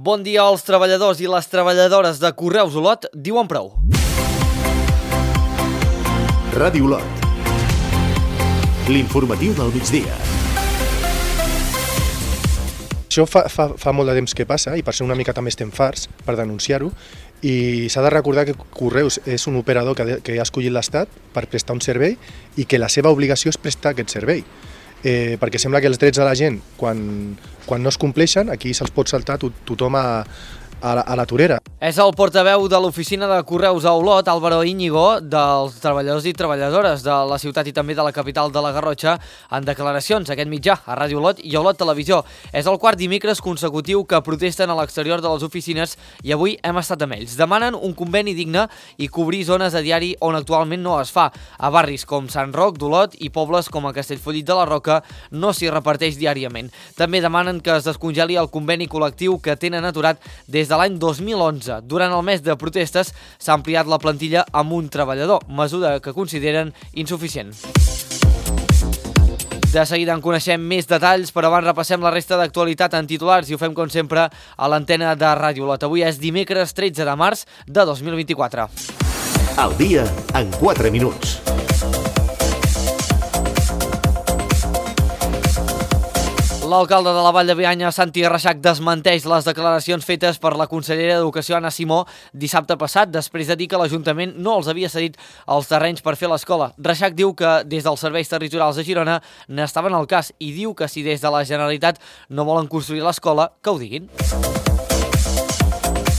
Bon dia als treballadors i les treballadores de Correus Olot diuen prou. Ràdio Olot. L'informatiu del migdia. Això fa molt de temps que passa i per ser una mica també estem farts per denunciar-ho, i s'ha de recordar que Correus és un operador que ha escollit l'Estat per prestar un servei i que la seva obligació és prestar aquest servei. Perquè sembla que els drets de la gent, quan no es compleixen, aquí se'ls pot saltar tothom a la torera. És el portaveu de l'oficina de Correus a Olot, Álvaro Íñigo, dels treballadors i treballadores de la ciutat i també de la capital de la Garrotxa, en declaracions a aquest mitjà, a Ràdio Olot i a Olot Televisió. És el quart dimecres consecutiu que protesten a l'exterior de les oficines i avui hem estat amb ells. Demanen un conveni digne i cobrir zones a diari on actualment no es fa. A barris com Sant Roc d'Olot i pobles com a Castellfollit de la Roca no s'hi reparteix diàriament. També demanen que es descongeli el conveni col·lectiu que tenen aturat des de l'any 2011. Durant el mes de protestes s'ha ampliat la plantilla amb un treballador, mesura que consideren insuficient. De seguida en coneixem més detalls, però abans repassem la resta d'actualitat en titulars i ho fem com sempre a l'antena de Ràdio Olot. Avui és dimecres 13 de març de 2024. El dia en 4 minuts. L'alcalde de la Vall de Bianya, Santi Reixac, desmenteix les declaracions fetes per la consellera d'Educació, Anna Simó, dissabte passat, després de dir que l'Ajuntament no els havia cedit els terrenys per fer l'escola. Reixac diu que des dels serveis territorials de Girona n'estaven al cas i diu que si des de la Generalitat no volen construir l'escola, que ho diguin.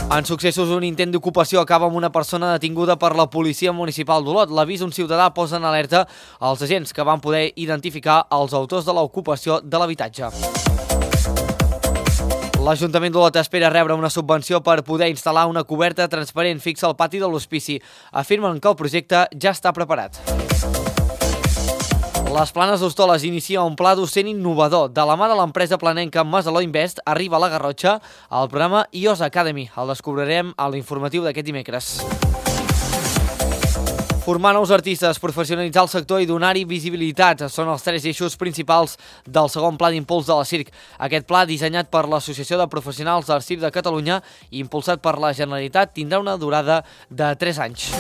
En successos, un intent d'ocupació acaba amb una persona detinguda per la policia municipal d'Olot. L'avís d'un ciutadà posa en alerta als agents que van poder identificar els autors de l'ocupació de l'habitatge. L'Ajuntament d'Olot espera rebre una subvenció per poder instal·lar una coberta transparent fixa al pati de l'hospici. Afirmen que el projecte ja està preparat. Les Planes d'Hostoles inicia un pla docent innovador. De la mà de l'empresa planenca Masaló Invest arriba a la Garrotxa el programa iOS Academy. El descobrirem a l'informatiu d'aquest dimecres. Formar nous artistes, professionalitzar el sector i donar-hi visibilitat són els 3 eixos principals del segon pla d'impuls de la CIRC. Aquest pla, dissenyat per l'Associació de Professionals del Circ de Catalunya i impulsat per la Generalitat, tindrà una durada de 3 anys.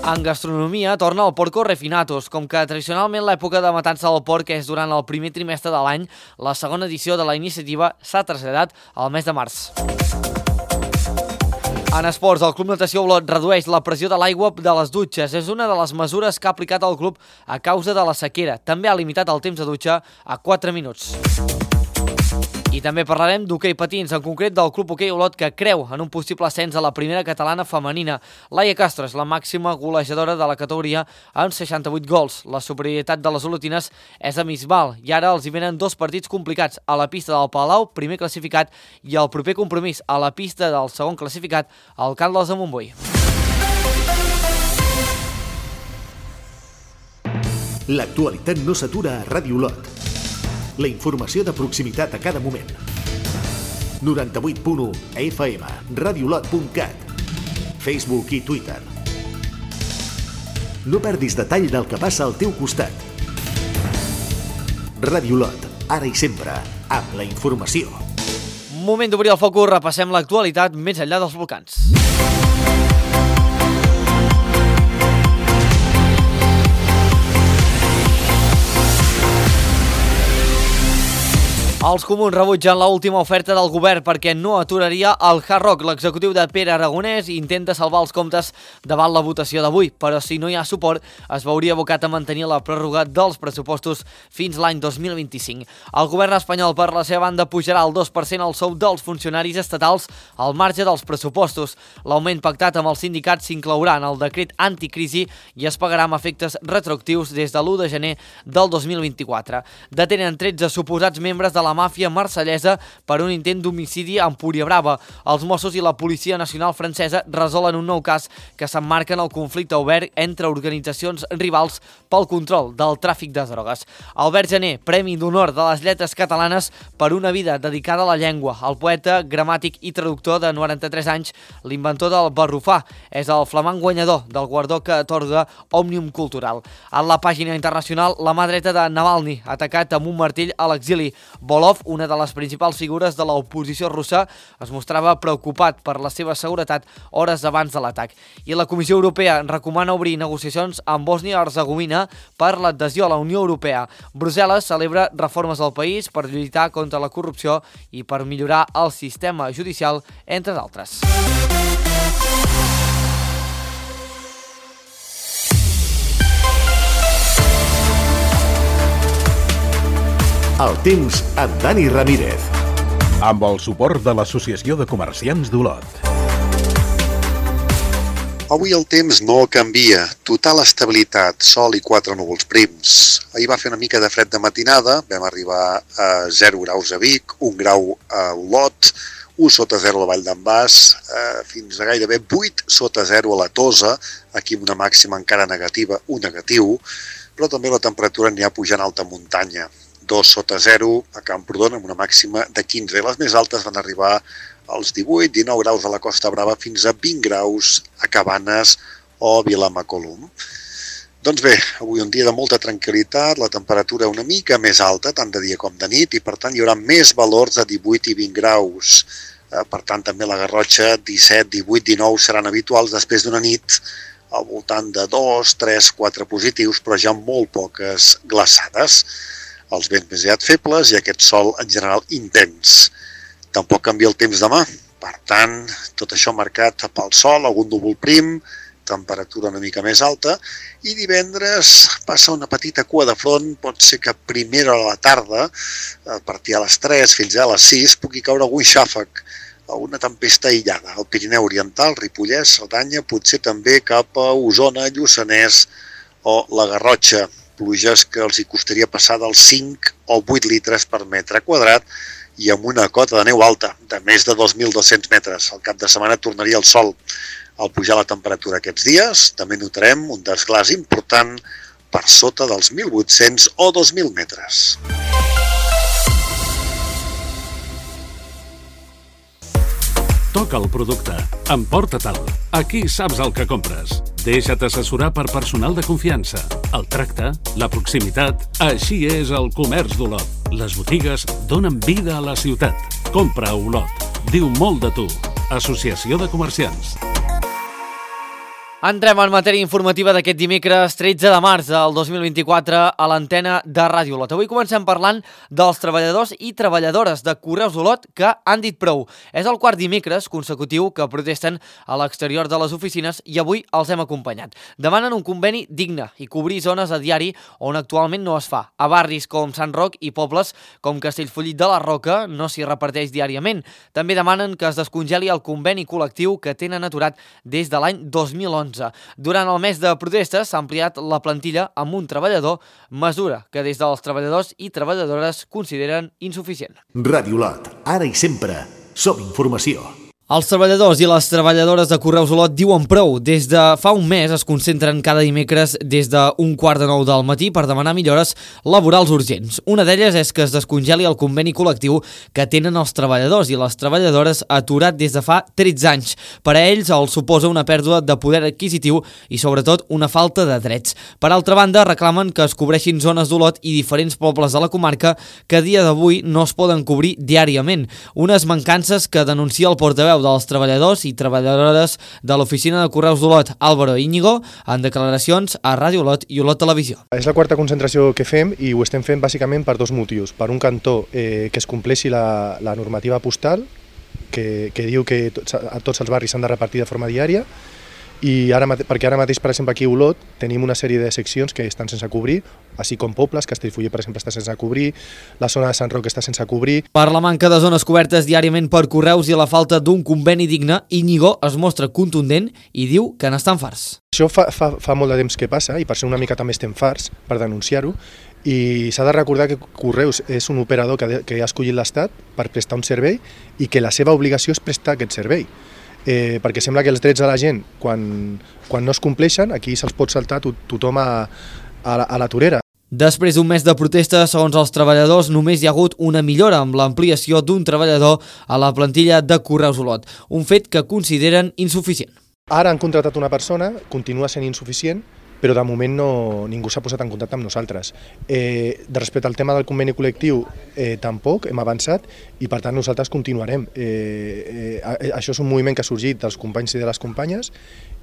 En gastronomia torna el Porco Refinatos. Com que tradicionalment l'època de matança del porc és durant el primer trimestre de l'any, la segona edició de la iniciativa s'ha traslladat al mes de març. En esports, el Club Natació Olot redueix la pressió de l'aigua de les dutxes. És una de les mesures que ha aplicat el club a causa de la sequera. També ha limitat el temps de dutxa a 4 minuts. I també parlarem d'hoquei patins, en concret del Club Hoquei Olot, que creu en un possible ascens a la primera catalana femenina. Laia Castro és la màxima golejadora de la categoria amb 68 gols. La superioritat de les olotines és abismal i ara els hi venen 2 partits complicats, a la pista del Palau, primer classificat, i el proper compromís a la pista del segon classificat, al Caldes de Montbui. L'actualitat no s'atura a Ràdio Olot. La informació de proximitat a cada moment. 98.1 FM, radiolot.cat, Facebook i Twitter. No perdis detall del que passa al teu costat. Ràdio Olot, ara i sempre, amb la informació. Moment d'obrir el focus, repassem l'actualitat més enllà dels volcans. Els comuns rebutgen l'última oferta del govern perquè no aturaria el Hard Rock. L'executiu de Pere Aragonès intenta salvar els comptes davant la votació d'avui, però si no hi ha suport es veuria abocat a mantenir la pròrroga dels pressupostos fins l'any 2025. El govern espanyol, per la seva banda, pujarà el 2% el sou dels funcionaris estatals al marge dels pressupostos. L'augment pactat amb els sindicats s'inclourà en el decret anticrisi i es pagarà amb efectes retroactius des de l'1 de gener del 2024. Detenen 13 suposats membres de la màfia marsellesa per un intent d'homicidi a Empuriabrava. Els Mossos i la Policia Nacional Francesa resolen un nou cas que s'emmarca en el conflicte obert entre organitzacions rivals pel control del tràfic de drogues. Albert Gené, Premi d'Honor de les Lletres Catalanes per una vida dedicada a la llengua. El poeta, gramàtic i traductor de 93 anys, l'inventor del barrufà, és el flamant guanyador del guardó que atorga Òmnium Cultural. En la pàgina internacional, la mà dreta de Navalny, atacat amb un martell a l'exili. Gogolov, una de les principals figures de l'oposició russa, es mostrava preocupat per la seva seguretat hores abans de l'atac. I la Comissió Europea recomana obrir negociacions amb Bòsnia-Hercegovina per l'adhesió a la Unió Europea. Brussel·les celebra reformes al país per lluitar contra la corrupció i per millorar el sistema judicial, entre d'altres. El temps amb Dani Ramírez. Amb el suport de l'Associació de Comerciants d'Olot. Avui el temps no canvia. Total estabilitat, sol i 4 núvols prims. Ahir va fer una mica de fred de matinada, vam arribar a 0 graus a Vic, 1 grau a Olot, 1 sota 0 a la Vall d'en Bas, fins a gairebé 8 sota 0 a la Tosa, aquí amb una màxima encara negativa, un negatiu, però també la temperatura anirà pujant a alta muntanya. 2 sota 0 a Camprodon amb una màxima de 15. Les més altes van arribar als 18-19 graus a la Costa Brava fins a 20 graus a Cabanes o Vilamacolum. Doncs bé, avui un dia de molta tranquil·litat, la temperatura una mica més alta, tant de dia com de nit, i per tant hi haurà més valors de 18 i 20 graus. Per tant, també la Garrotxa 17, 18, 19 seran habituals després d'una nit al voltant de 2, 3, 4 positius, però ja molt poques glaçades. Els vents més aviat febles i aquest sol en general intens. Tampoc canvia el temps demà. Per tant, tot això marcat pel sol, algun núvol prim, temperatura una mica més alta, i divendres passa una petita cua de front, pot ser que a primera hora de la tarda, a partir de les 3 fins a les 6, pugui caure algun xàfec, una tempesta aïllada. Al Pirineu Oriental, Ripollès, Cerdanya, potser també cap a Osona, Lluçanès o la Garrotxa. Pluges que els hi costaria passar dels 5 o 8 litres per metre quadrat i amb una cota de neu alta, de més de 2.200 metres. Al cap de setmana tornaria el sol. Al pujar la temperatura aquests dies, també notarem un desglàs important per sota dels 1.800 o 2.000 metres. Toca el producte, emporta-te'l. Aquí saps el que compres. Deixa't assessorar per personal de confiança. El tracte, la proximitat, així és el comerç d'Olot. Les botigues donen vida a la ciutat. Compra a Olot. Diu molt de tu. Associació de Comerciants. Entrem en matèria informativa d'aquest dimecres 13 de març del 2024 a l'antena de Ràdio Olot. Avui comencem parlant dels treballadors i treballadores de Correus Olot que han dit prou. És el quart dimecres consecutiu que protesten a l'exterior de les oficines i avui els hem acompanyat. Demanen un conveni digne i cobrir zones a diari on actualment no es fa. A barris com Sant Roc i pobles com Castellfollit de la Roca no s'hi reparteix diàriament. També demanen que es descongeli el conveni col·lectiu que tenen aturat des de l'any 2011. Durant el mes de protestes s'ha ampliat la plantilla amb un treballador, mesura que des dels treballadors i treballadores consideren insuficient. Ràdio Olot, ara i sempre, som informació. Els treballadors i les treballadores de Correus Olot diuen prou. Des de fa un mes es concentren cada dimecres des d'un 8:45 del matí per demanar millores laborals urgents. Una d'elles és que es descongeli el conveni col·lectiu que tenen els treballadors i les treballadores aturat des de fa 13 anys. Per a ells els suposa una pèrdua de poder adquisitiu i sobretot una falta de drets. Per altra banda, reclamen que es cobreixin zones d'Olot i diferents pobles de la comarca que a dia d'avui no es poden cobrir diàriament. Unes mancances que denuncia el portaveu dels treballadors i treballadores de l'oficina de Correus d'Olot, Álvaro Íñigo, en declaracions a Ràdio Olot i Olot Televisió. És la quarta concentració que fem i ho estem fent bàsicament per dos motius. Per un cantó, que es compleixi la normativa postal, que diu que a tots els barris s'han de repartir de forma diària, i perquè ara mateix, per exemple, aquí a Olot tenim una sèrie de seccions que estan sense cobrir, així com pobles, Castellfollit, per exemple, està sense cobrir, la zona de Sant Roc està sense cobrir. Per la manca de zones cobertes diàriament per Correus i la falta d'un conveni digne, Íñigo es mostra contundent i diu que n'estan farts. Això fa molt de temps que passa i per ser una mica també estem farts per denunciar-ho, i s'ha de recordar que Correus és un operador que ha escollit l'Estat per prestar un servei i que la seva obligació és prestar aquest servei. Perquè sembla que els drets de la gent, quan no es compleixen, aquí se'ls pot saltar tothom a la torera. Després d'un mes de protestes, segons els treballadors, només hi ha hagut una millora amb l'ampliació d'un treballador a la plantilla de Correus Olot, un fet que consideren insuficient. Ara han contractat una persona, continua sent insuficient, però de moment ningú s'ha posat en contacte amb nosaltres. Respecte al tema del conveni col·lectiu, tampoc hem avançat i per tant nosaltres continuarem. Això és un moviment que ha sorgit dels companys i de les companyes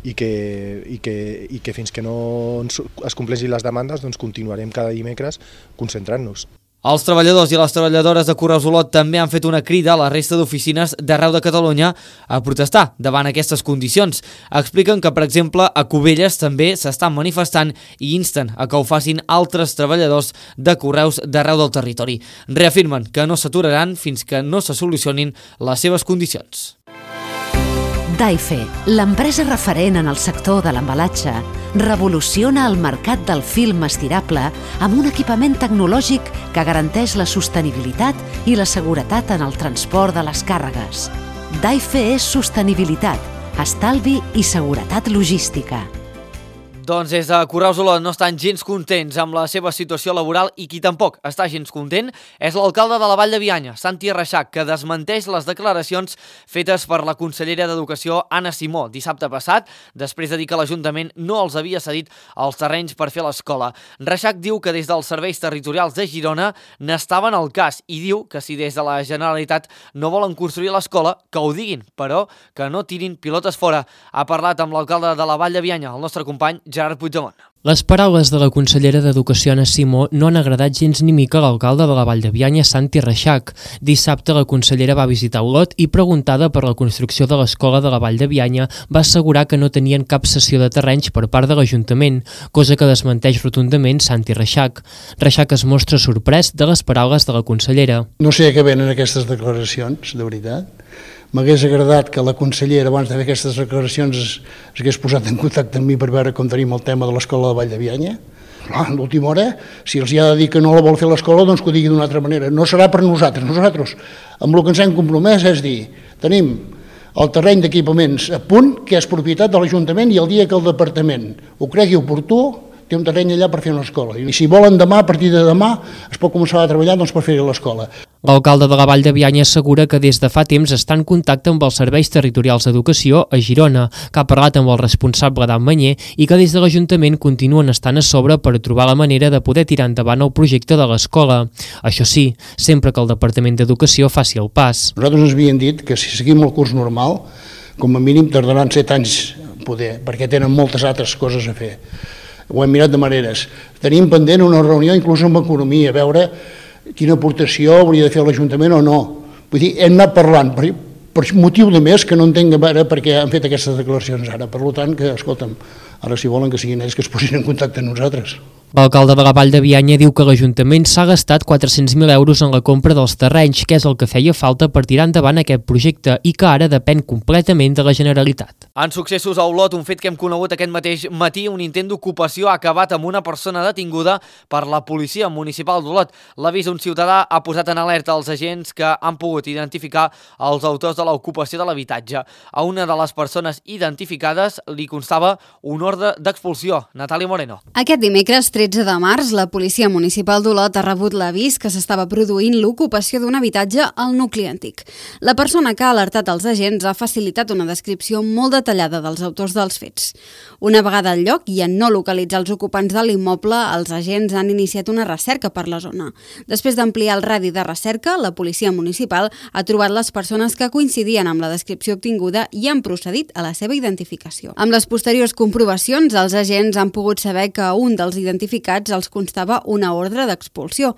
i que fins que no es compleixin les demandes doncs continuarem cada dimecres concentrant-nos. Els treballadors i les treballadores de Correus Olot també han fet una crida a la resta d'oficines d'arreu de Catalunya a protestar davant aquestes condicions. Expliquen que, per exemple, a Cubelles també s'estan manifestant i insten a que ho facin altres treballadors de Correus d'arreu del territori. Reafirmen que no s'aturaran fins que no se solucionin les seves condicions. Daife, l'empresa referent en el sector de l'embalatge, revoluciona el mercat del film estirable amb un equipament tecnològic que garanteix la sostenibilitat i la seguretat en el transport de les càrregues. Daife és sostenibilitat, estalvi i seguretat logística. Doncs des de Correus Olot no estan gens contents amb la seva situació laboral i qui tampoc està gens content és l'alcalde de la Vall de Bianya, Santi Reixac, que desmenteix les declaracions fetes per la consellera d'Educació, Anna Simó, dissabte passat, després de dir que l'Ajuntament no els havia cedit els terrenys per fer l'escola. Reixac diu que des dels serveis territorials de Girona n'estaven al cas i diu que si des de la Generalitat no volen construir l'escola, que ho diguin, però que no tirin pilotes fora. Ha parlat amb l'alcalde de la Vall de Bianya, el nostre company Gerard Puigdemont. Les paraules de la consellera d'Educació, Anna Simó, no han agradat gens ni mica a l'alcalde de la Vall de Bianya, Santi Reixac. Dissabte la consellera va visitar Olot i, preguntada per la construcció de l'escola de la Vall de Bianya, va assegurar que no tenien cap cessió de terrenys per part de l'Ajuntament, cosa que desmenteix rotundament Santi Reixac. Reixac es mostra sorprès de les paraules de la consellera. No sé a què venen aquestes declaracions, de veritat. M'hagués agradat que la consellera, abans de fer aquestes declaracions, s'hagués posat en contacte amb mi per veure com tenim el tema de l'escola de Vall de Bianya. A l'última hora, si els hi ha de dir que no la vol fer l'escola, doncs que ho digui d'una altra manera. No serà per nosaltres. Nosaltres, amb el que ens hem compromès, és dir, tenim el terreny d'equipaments a punt, que és propietat de l'Ajuntament, i el dia que el departament ho cregui oportú, té un terreny allà per fer una escola. I si volen demà, a partir de demà, es pot començar a treballar per fer l'escola. L'alcalde de la Vall de Bianya assegura que des de fa temps està en contacte amb els serveis territorials d'educació a Girona, que ha parlat amb el responsable d'Amanyer i que des de l'Ajuntament continuen estant a sobre per trobar la manera de poder tirar endavant el projecte de l'escola. Això sí, sempre que el Departament d'Educació faci el pas. Nosaltres ens havien dit que si seguim el curs normal, com a mínim tardaran 7 anys poder, perquè tenen moltes altres coses a fer. Ho hem mirat de maneres. Tenim pendent una reunió inclús amb Economia, a veure quina aportació hauria de fer l'Ajuntament o no. Vull dir, hem anat parlant, per motiu de més que no entenc a veure per què han fet aquestes declaracions ara. Per tant, que, escolta'm, ara si volen que siguin ells que es posin en contacte amb nosaltres. L'alcalde de la Vall de Bianya diu que l'Ajuntament s'ha gastat 400.000 euros en la compra dels terrenys, que és el que feia falta per tirar endavant aquest projecte i que ara depèn completament de la Generalitat. En successos a Olot, un fet que hem conegut aquest mateix matí, un intent d'ocupació ha acabat amb una persona detinguda per la policia municipal d'Olot. L'avís d'un ciutadà ha posat en alerta els agents que han pogut identificar els autors de l'ocupació de l'habitatge. A una de les persones identificades li constava un ordre d'expulsió. Natàlia Moreno. Aquest dimecres 13 de març, la Policia Municipal d'Olot ha rebut l'avís que s'estava produint l'ocupació d'un habitatge al nucli antic. La persona que ha alertat els agents ha facilitat una descripció molt detallada dels autors dels fets. Una vegada al lloc i en no localitzar els ocupants de l'immoble, els agents han iniciat una recerca per la zona. Després d'ampliar el radi de recerca, la Policia Municipal ha trobat les persones que coincidien amb la descripció obtinguda i han procedit a la seva identificació. Amb les posteriors comprovacions, els agents han pogut saber que un dels identificats els constava una ordre d'expulsió.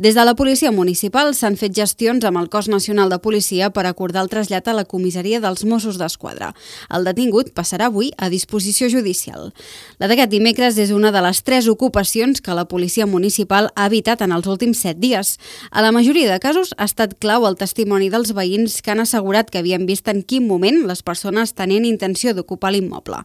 Des de la Policia Municipal s'han fet gestions amb el Cos Nacional de Policia per acordar el trasllat a la comissaria dels Mossos d'Esquadra. El detingut passarà avui a disposició judicial. La d'aquest dimecres és una de les 3 ocupacions que la Policia Municipal ha evitat en els últims 7 dies. A la majoria de casos ha estat clau el testimoni dels veïns que han assegurat que havien vist en quin moment les persones tenien intenció d'ocupar l'immoble.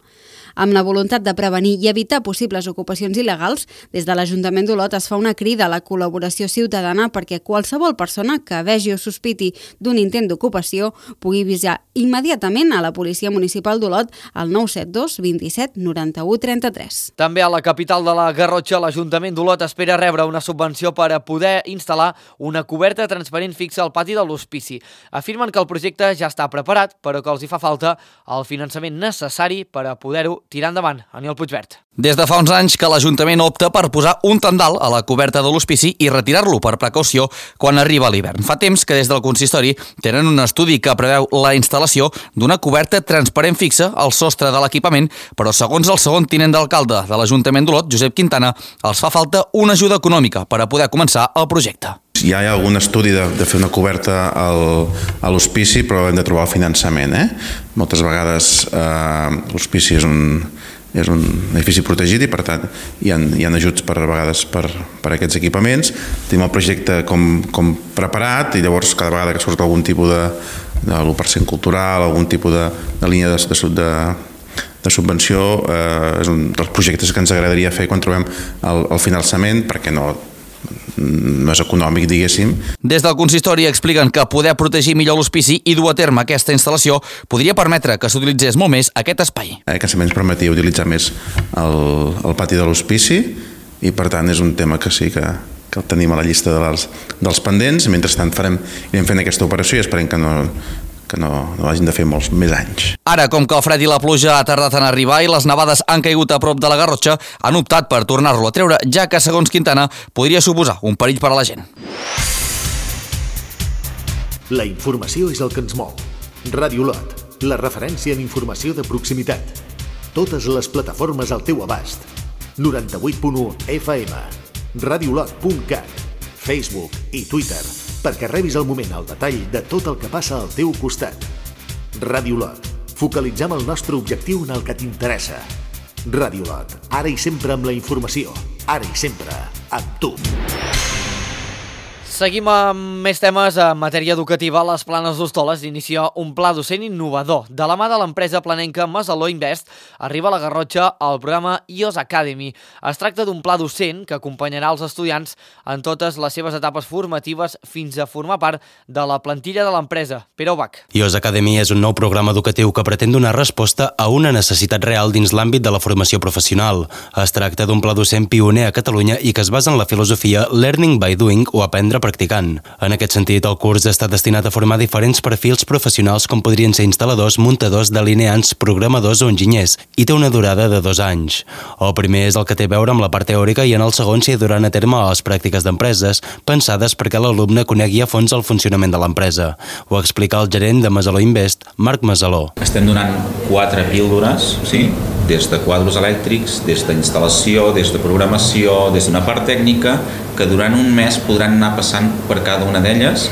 Amb la voluntat de prevenir i evitar possibles ocupacions il·legals, des de l'Ajuntament d'Olot es fa una crida a la col·laboració ciutadana perquè qualsevol persona que vegi o sospiti d'un intent d'ocupació pugui avisar immediatament a la Policia Municipal d'Olot al 972 27 91 33. També a la capital de la Garrotxa, l'Ajuntament d'Olot espera rebre una subvenció per a poder instal·lar una coberta transparent fixa al pati de l'hospici. Afirmen que el projecte ja està preparat, però que els hi fa falta el finançament necessari per a poder-ho tirar endavant. Aniol Puigvert. Des de fa uns anys que l'Ajuntament opta per posar un tendal a la coberta de l'hospici i retirar-lo per precaució quan arriba l'hivern. Fa temps que des del consistori tenen un estudi que preveu la instal·lació d'una coberta transparent fixa al sostre de l'equipament, però segons el segon tinent d'alcalde de l'Ajuntament d'Olot, Josep Quintana, els fa falta una ajuda econòmica per a poder començar el projecte. Hi ha algun estudi de fer una coberta a l'hospici, però hem de trobar el finançament. Moltes vegades l'hospici és un edifici protegit i per tant hi ha ajuts a vegades per aquests equipaments. Tenim el projecte com preparat i llavors cada vegada que surt algun tipus de l'1% cultural, algun tipus de línia de subvenció, és un dels projectes que ens agradaria fer quan trobem el finançament, perquè no és econòmic, diguéssim. Des del consistori expliquen que poder protegir millor l'hospici i dur a terme aquesta instal·lació podria permetre que s'utilitzés molt més aquest espai. Que ens permetia utilitzar més el pati de l'hospici i per tant és un tema que sí que el tenim a la llista dels pendents. Mentrestant irem fent aquesta operació i esperem que no hagin de fer molts més anys. Ara, com que el fred i la pluja ha tardat en arribar i les nevades han caigut a prop de la Garrotxa, han optat per tornar-lo a treure, ja que, segons Quintana, podria suposar un perill per a la gent. La informació és el que ens mou. Ràdio Olot, la referència en informació de proximitat. Totes les plataformes al teu abast. 98.1 FM, radiolot.cat, Facebook i Twitter, perquè rebis al moment el detall de tot el que passa al teu costat. Ràdio Olot. Focalitzem el nostre objectiu en el que t'interessa. Ràdio Olot. Ara i sempre amb la informació. Ara i sempre amb tu. Seguim amb més temes en matèria educativa. Les Planes d'Hostoles inicia un pla docent innovador. De la mà de l'empresa planenca Masaló Invest arriba a la Garrotxa el programa iOS Academy. Es tracta d'un pla docent que acompanyarà els estudiants en totes les seves etapes formatives fins a formar part de la plantilla de l'empresa. Pere Ubach. iOS Academy és un nou programa educatiu que pretén donar resposta a una necessitat real dins l'àmbit de la formació professional. Es tracta d'un pla docent pioner a Catalunya i que es basa en la filosofia Learning by Doing o aprendre practicant. En aquest sentit, el curs està destinat a formar diferents perfils professionals com podrien ser instal·ladors, muntadors, delineants, programadors o enginyers, i té una durada de 2 anys. El primer és el que té a veure amb la part teòrica i en el segon s'hi duran a terme les pràctiques d'empreses, pensades perquè l'alumne conegui a fons el funcionament de l'empresa. Ho explica el gerent de Masaló Invest, Marc Masaló. Estem donant 4 píldores, sí? Des de quadros elèctrics, des d'instal·lació, des de programació, des d'una part tècnica, que durant un mes podran anar passant per cada una d'elles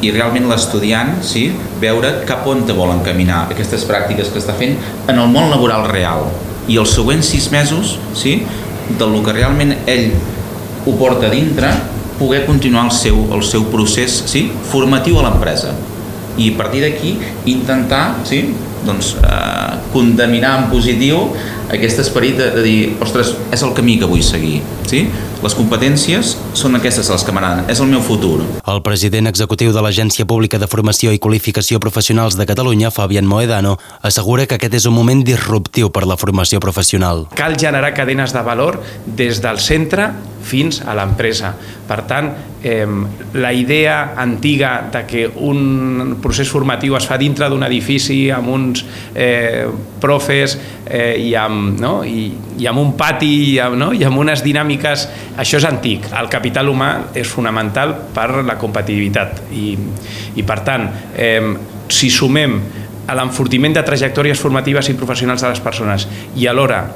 i realment l'estudiant veure cap on te volen caminar aquestes pràctiques que està fent en el món laboral real. I els següents 6 mesos, del que realment ell ho porta a dintre, poder continuar el seu procés formatiu a l'empresa. I a partir d'aquí intentar condeminar en positiu aquest esperit de dir, ostres, és el camí que vull seguir. Les competències són aquestes les que m'agraden, és el meu futur. El president executiu de l'Agència Pública de Formació i Qualificació Professionals de Catalunya, Fabián Moedano, assegura que aquest és un moment disruptiu per la formació professional. Cal generar cadenes de valor des del centre fins a l'empresa. Per tant, la idea antiga de que un procés formatiu es fa dintre d'un edifici amb uns profes i amb un pati i amb unes dinàmiques, això és antic. El capital humà és fonamental per la competitivitat i per tant, si sumem a l'enfortiment de trajectòries formatives i professionals de les persones i alhora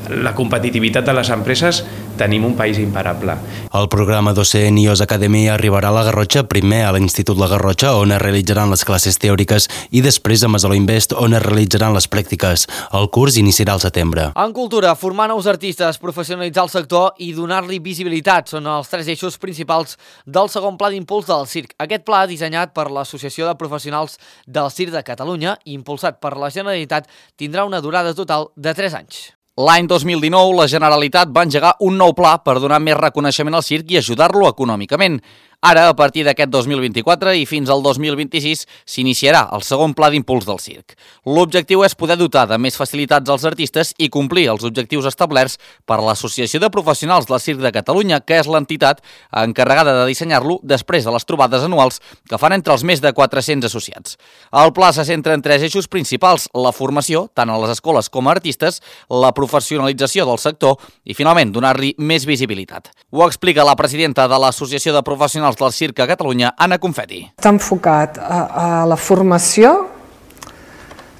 la competitivitat de les empreses, tenim un país imparable. El programa docent iOS Academy arribarà a la Garrotxa, primer a l'Institut La Garrotxa, on es realitzaran les classes teòriques, i després a Masaló Invest, on es realitzaran les pràctiques. El curs iniciarà al setembre. En cultura, formar nous artistes, professionalitzar el sector i donar-li visibilitat són els 3 eixos principals del segon pla d'impuls del circ. Aquest pla, dissenyat per l'Associació de Professionals del Circ de Catalunya i impulsat per la Generalitat, tindrà una durada total de 3 anys. L'any 2019, la Generalitat va engegar un nou pla per donar més reconeixement al circ i ajudar-lo econòmicament. Ara, a partir d'aquest 2024 i fins al 2026, s'iniciarà el segon pla d'impuls del circ. L'objectiu és poder dotar de més facilitats als artistes i complir els objectius establerts per l'Associació de Professionals del Circ de Catalunya, que és l'entitat encarregada de dissenyar-lo després de les trobades anuals que fan entre els més de 400 associats. El pla se centra en 3 eixos principals: la formació, tant a les escoles com a artistes, la professionalització del sector i, finalment, donar-li més visibilitat. Ho explica la presidenta de l'Associació de Professionals del Circ a Catalunya, Anna Confetti. Està enfocat a la formació,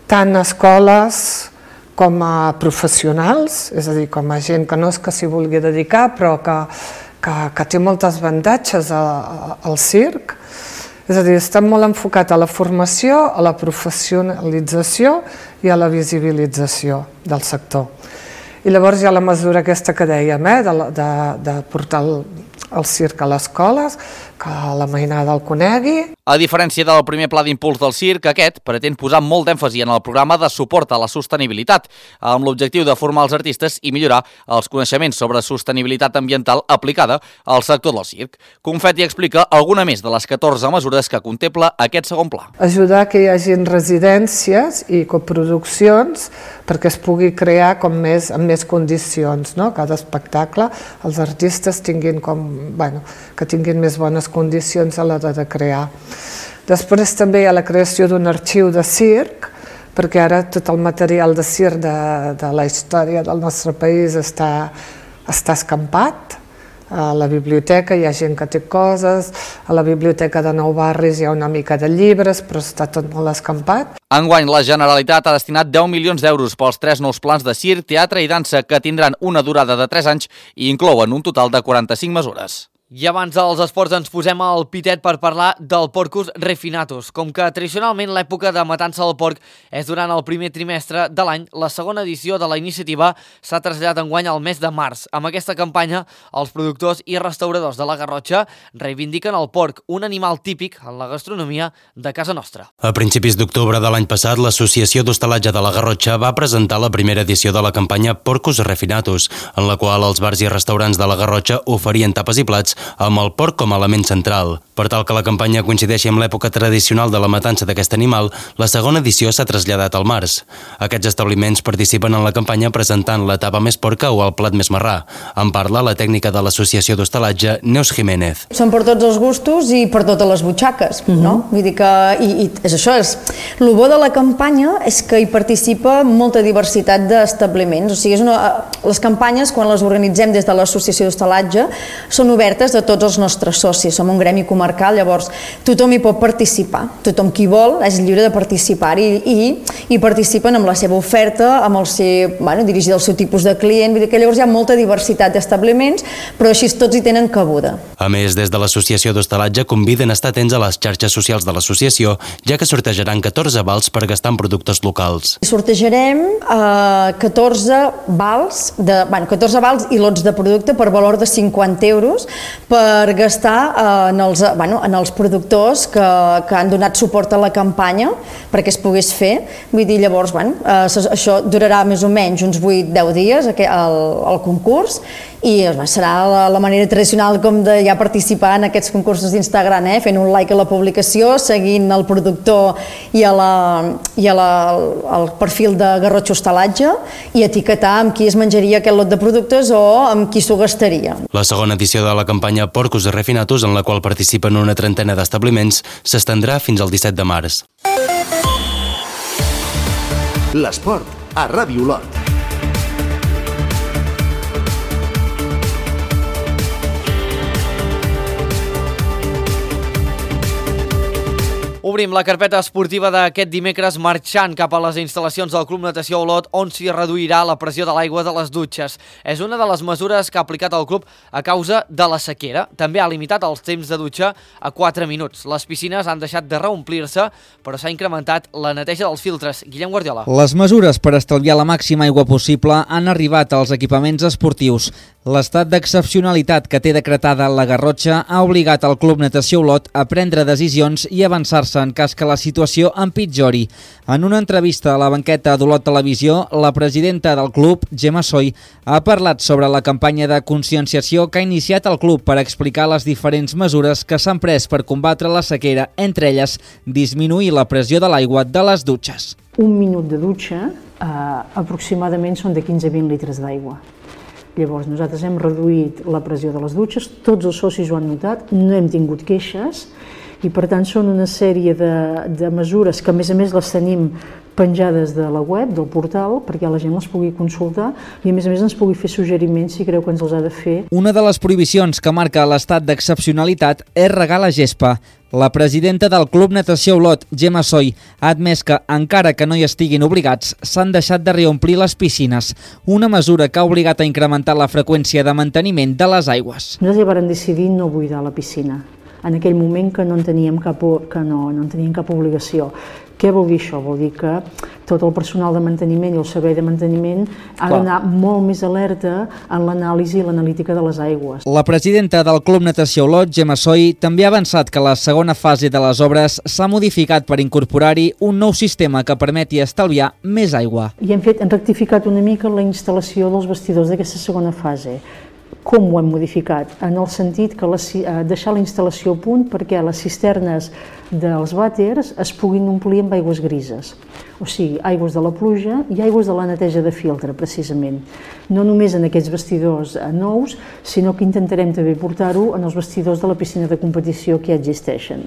tant a escoles com a professionals, és a dir, com a gent que no és que s'hi vulgui dedicar, però que té molts avantatges al circ. És a dir, està molt enfocat a la formació, a la professionalització i a la visibilització del sector. I llavors hi ha la mesura aquesta que dèiem, de portar el circ a les escoles, que la mainada el conegui. A diferència del primer pla d'impuls del circ, aquest pretén posar molt d'èmfasi en el programa de suport a la sostenibilitat, amb l'objectiu de formar els artistes i millorar els coneixements sobre sostenibilitat ambiental aplicada al sector del circ. Confetti explica alguna més de les 14 mesures que contempla aquest segon pla. Ajudar que hi hagin residències i coproduccions perquè es pugui crear amb més condicions, no? Cada espectacle, els artistes tinguin que tinguin més bones condicions a l'hora de crear. Després també hi ha la creació d'un arxiu de circ, perquè ara tot el material de circ de la història del nostre país està escampat. A la biblioteca hi ha gent que té coses, a la biblioteca de Nou Barris hi ha una mica de llibres, però està tot molt escampat. Enguany, la Generalitat ha destinat 10 milions d'euros pels 3 nous plans de circ, teatre i dansa que tindran una durada de 3 anys i inclouen un total de 45 mesures. I abans dels esports ens posem al pitet per parlar del Porcus Refinatus. Com que tradicionalment l'època de matança del porc és durant el primer trimestre de l'any, la segona edició de la iniciativa s'ha traslladat enguany al mes de març. Amb aquesta campanya, els productors i restauradors de la Garrotxa reivindiquen el porc, un animal típic en la gastronomia de casa nostra. A principis d'octubre de l'any passat, l'Associació d'Hostalatge de la Garrotxa va presentar la primera edició de la campanya Porcus Refinatus, en la qual els bars i restaurants de la Garrotxa oferien tapes i plats amb el porc com a element central. Per tal que la campanya coincideixi amb l'època tradicional de la matança d'aquest animal, la segona edició s'ha traslladat al març. Aquests establiments participen en la campanya presentant la tapa més porca o el plat més marrà. En parla la tècnica de l'Associació d'Hostalatge, Neus Jiménez. Són per tots els gustos i per totes les butxaques, no? Vull dir que és això. El bo de la campanya és que hi participa molta diversitat d'establiments. O sigui, les campanyes, quan les organitzem des de l'Associació d'Hostalatge, són obertes de tots els nostres socis. Som un gremi comarcal, llavors tothom hi pot participar. Tothom qui vol és lliure de participar i participen amb la seva oferta, amb el seu, dirigida al seu tipus de client. Vull dir que llavors hi ha molta diversitat d'establiments, però així tots hi tenen cabuda. A més, des de l'Associació d'Hostalatge conviden a estar atents a les xarxes socials de l'associació, ja que sortejaran 14 vals per gastar en productes locals. Sortejarem 14 vals i lots de producte per valor de 50 euros per gastar en els productors que han donat suport a la campanya perquè es pogués fer. Vull dir, llavors, això durarà més o menys uns 8-10 dies, el concurs, i serà la manera tradicional com de ja participar en aquests concursos d'Instagram, fent un like a la publicació, seguint el productor i el perfil de Garrotxa Hostalatge i etiquetar amb qui es menjaria aquest lot de productes o amb qui s'ho gastaria. La segona edició de la campanya Porcus Refinatus, en la qual participen una trentena d'establiments, s'estendrà fins al 17 de març. L'esport a Ràdio Olot. Obrim la carpeta esportiva d'aquest dimecres marxant cap a les instal·lacions del Club Natació Olot, on s'hi reduirà la pressió de l'aigua de les dutxes. És una de les mesures que ha aplicat el club a causa de la sequera. També ha limitat els temps de dutxa a 4 minuts. Les piscines han deixat de reomplir-se, però s'ha incrementat la neteja dels filtres. Guillem Guardiola. Les mesures per estalviar la màxima aigua possible han arribat als equipaments esportius. L'estat d'excepcionalitat que té decretada la Garrotxa ha obligat el Club Natació Olot a prendre decisions i avançar-se en cas que la situació empitjori. En una entrevista a la banqueta d'Olot Televisió, la presidenta del club, Gemma Soy, ha parlat sobre la campanya de conscienciació que ha iniciat el club per explicar les diferents mesures que s'han pres per combatre la sequera, entre elles disminuir la pressió de l'aigua de les dutxes. Un minut de dutxa aproximadament són de 15-20 litres d'aigua. Llavors nosaltres hem reduït la pressió de les dutxes, tots els socis ho han notat, no hem tingut queixes i per tant són una sèrie de mesures que a més les tenim penjades de la web, del portal, perquè la gent les pugui consultar i a més ens pugui fer suggeriments si creu que ens els ha de fer. Una de les prohibicions que marca l'estat d'excepcionalitat és regar la gespa. La presidenta del Club Natació Olot, Gemma Soy, ha admès que, encara que no hi estiguin obligats, s'han deixat de reomplir les piscines, una mesura que ha obligat a incrementar la freqüència de manteniment de les aigües. Nosaltres ja vam decidir no buidar la piscina, en aquell moment que no en teníem cap obligació. Què vol dir això? Vol dir que tot el personal de manteniment i el servei de manteniment ha d'anar molt més alerta en l'anàlisi i l'analítica de les aigües. La presidenta del Club Natació Olot, Gemma Soy, també ha avançat que la segona fase de les obres s'ha modificat per incorporar-hi un nou sistema que permeti estalviar més aigua. I hem rectificat una mica la instal·lació dels vestidors d'aquesta segona fase. Com ho hem modificat? En el sentit que deixar la instal·lació a punt perquè les cisternes dels vàters es puguin omplir amb aigües grises, o sigui, aigües de la pluja i aigües de la neteja de filtre, precisament. No només en aquests vestidors nous, sinó que intentarem també portar-ho en els vestidors de la piscina de competició que ja existeixen.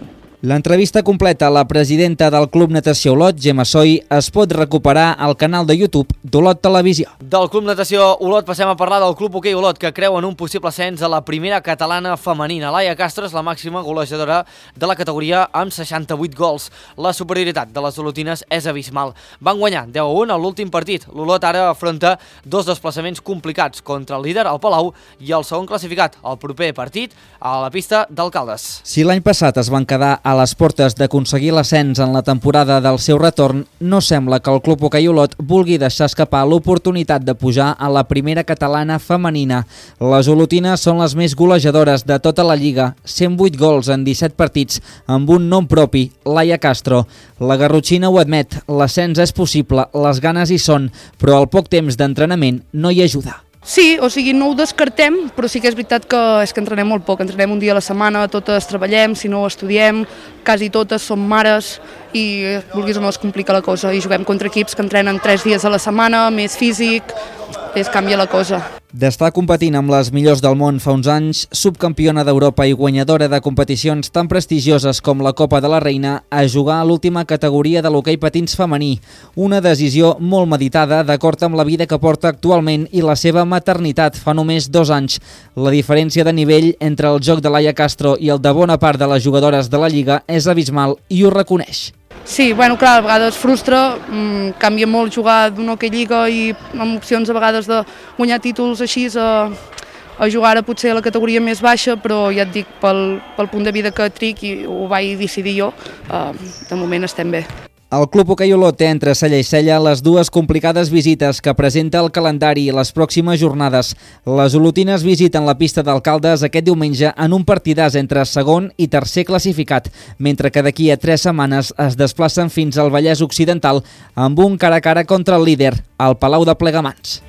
L'entrevista completa a la presidenta del Club Natació Olot, Gemma Soy, es pot recuperar al canal de YouTube d'Olot Televisió. Del Club Natació Olot passem a parlar del Club Hoquei Olot, que creu en un possible ascens a la primera catalana femenina. Laia Castro és la màxima golejadora de la categoria amb 68 gols. La superioritat de les olotines és abismal. Van guanyar 10-1 a l'últim partit. L'Olot ara afronta dos desplaçaments complicats contra el líder, el Palau, i el segon classificat, el proper partit, a la pista d'Alcaldes. Si l'any passat es van quedar a les portes d'aconseguir l'ascens en la temporada del seu retorn, no sembla que el Club Hoquei Olot vulgui deixar escapar l'oportunitat de pujar a la primera catalana femenina. Les olotines són les més golejadores de tota la lliga, 108 gols en 17 partits, amb un nom propi, Laia Castro. La garrotxina ho admet, l'ascens és possible, les ganes hi són, però el poc temps d'entrenament no hi ajuda. Sí, o sigui, no ho descartem, però sí que és veritat que entrenem molt poc, entrenem un dia a la setmana, totes treballem, si no estudiem, quasi totes som mares i vulguis o no es complica la cosa i juguem contra equips que entrenen 3 dies a la setmana, més físic, es canvia la cosa. D'estar competint amb les millors del món fa uns anys, subcampiona d'Europa i guanyadora de competicions tan prestigioses com la Copa de la Reina, a jugar a l'última categoria de l'hoquei patins femení. Una decisió molt meditada d'acord amb la vida que porta actualment i la seva maternitat fa només 2 anys. La diferència de nivell entre el joc de Laia Castro i el de bona part de les jugadores de la Lliga és abismal i ho reconeix. Sí, bueno, clar, a vegades frustra, canvia molt jugar d'una hoquei lliga i amb opcions a vegades de guanyar títols així a jugar ara potser a la categoria més baixa, però ja et dic, pel punt de vida que tric i ho vaig decidir jo, de moment estem bé. El Club Hoquei Olot té entre cella i cella les dues complicades visites que presenta el calendari i les pròximes jornades. Les olotines visiten la pista d'Alcaldes aquest diumenge en un partidàs entre segon i tercer classificat, mentre que d'aquí a 3 setmanes es desplacen fins al Vallès Occidental amb un cara a cara contra el líder, el Palau de Plegamans.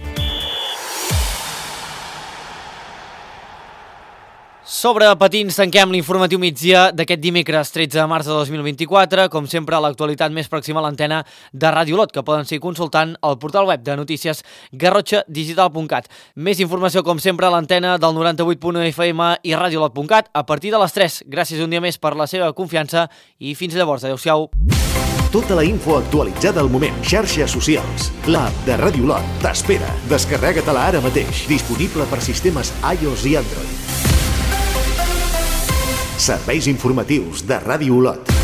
Sobre patins tanquem l'informatiu migdia d'aquest dimecres 13 de març de 2024. Com sempre, l'actualitat més pròxima a l'antena de Ràdio Olot, que poden seguir consultant al portal web de notícies garrotxadigital.cat. Més informació, com sempre, a l'antena del 98.1 FM i radioolot.cat a partir de les 3. Gràcies un dia més per la seva confiança i fins llavors. Adéu-siau. Tota la info actualitzada al moment. Xarxes socials. L'app de Ràdio Olot t'espera. Descarrega-te-la ara mateix. Disponible per sistemes iOS i Android. Serveis informatius de Ràdio Olot.